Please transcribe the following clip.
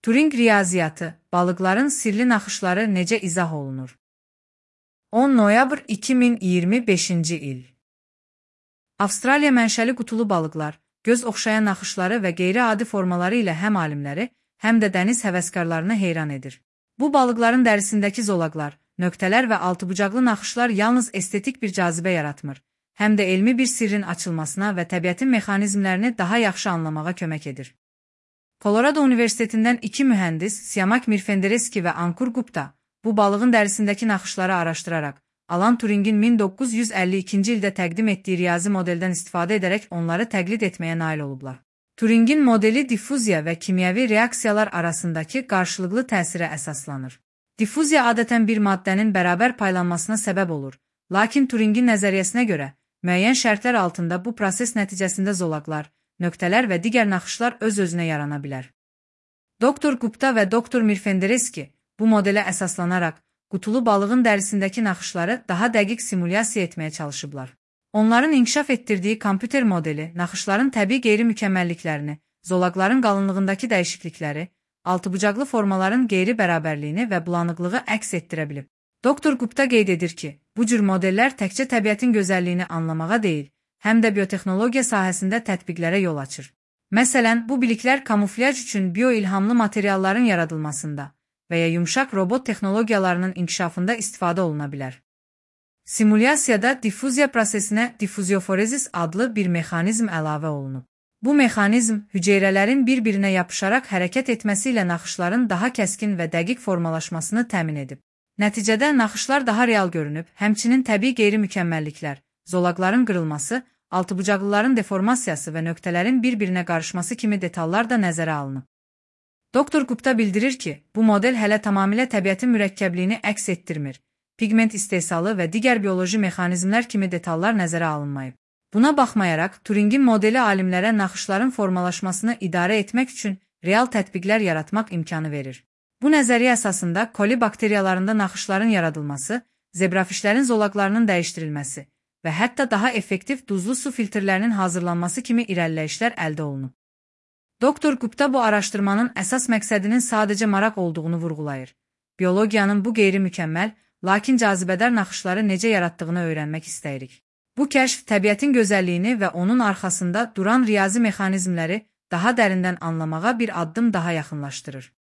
Turing riyaziyyatı, balıqların sirli naxışları necə izah olunur? 10 noyabr 2025-ci il. Avstraliya mənşəli qutulu balıqlar, göz oxşayan naxışları və qeyri-adi formaları ilə həm alimləri, həm də dəniz həvəskarlarını heyran edir. Bu balıqların dərisindəki zolaqlar, nöqtələr və altıbucaqlı naxışlar yalnız estetik bir cazibə yaratmır, həm də elmi bir sirrin açılmasına və təbiətin mexanizmlərini daha yaxşı anlamağa kömək edir. Colorado Universitetindən iki mühəndis, Siamak Mirfendereski və Ankur Gupta, bu balığın dərisindəki naxışları araşdıraraq, Alan Turingin 1952-ci ildə təqdim etdiyi riyazi modeldən istifadə edərək onları təqlid etməyə nail olublar. Turingin modeli diffuziya və kimyəvi reaksiyalar arasındakı qarşılıqlı təsirə əsaslanır. Diffuziya adətən bir maddənin bərabər paylanmasına səbəb olur, lakin Turingin nəzəriyyəsinə görə, müəyyən şərtlər altında bu proses nəticəsində zolaqlar, nöqtələr və digər naxışlar öz-özünə yarana bilər. Dr. Gupta və Dr. Mirfendereski bu modelə əsaslanaraq, qutulu balığın dərisindəki naxışları daha dəqiq simulyasiya etməyə çalışıblar. Onların inkişaf etdirdiyi kompüter modeli naxışların təbii qeyri-mükəmməlliklərini, zolaqların qalınlığındakı dəyişiklikləri, altıbucaqlı formaların qeyri-bərabərliyini və bulanıqlığı əks etdirə bilib. Dr. Gupta qeyd edir ki, bu cür modellər təkcə təbiətin gözəlliyini anlamağa deyil, həm də biotexnologiya sahəsində tətbiqlərə yol açır. Məsələn, bu biliklər kamuflyaj üçün bioilhamlı materialların yaradılmasında və ya yumşaq robot texnologiyalarının inkişafında istifadə oluna bilər. Simulyasiyada diffuziya prosesinə diffuzioforezis adlı bir mexanizm əlavə olunub. Bu mexanizm hüceyrələrin bir-birinə yapışaraq hərəkət etməsi ilə naxışların daha kəskin və dəqiq formalaşmasını təmin edib. Nəticədə naxışlar daha real görünüb, həmçinin təbii qeyri-mükəmməlliklər, zolaqların qırılması, altıbucaqlıların deformasiyası və nöqtələrin bir-birinə qarışması kimi detallar da nəzərə alınıb. Dr. Gupta bildirir ki, bu model hələ tamamilə təbiətin mürəkkəbliyini əks etdirmir, pigment istehsalı və digər bioloji mexanizmlər kimi detallar nəzərə alınmayıb. Buna baxmayaraq, Turingin modeli alimlərə naxışların formalaşmasını idarə etmək üçün real tətbiqlər yaratmaq imkanı verir. Bu nəzəriyyə əsasında koli bakteriyalarında naxışların yaradılması, zebrafişlərin zolaqlarının dəyişdirilməsi və hətta daha effektiv duzlu su filtrlərinin hazırlanması kimi irəliləyişlər əldə olunub. Dr. Gupta bu araşdırmanın əsas məqsədinin sadəcə maraq olduğunu vurğulayır. Biologiyanın bu qeyri-mükəmməl, lakin cazibədar naxışları necə yaratdığını öyrənmək istəyirik. Bu kəşf təbiətin gözəlliyini və onun arxasında duran riyazi mexanizmləri daha dərindən anlamağa bir addım daha yaxınlaşdırır.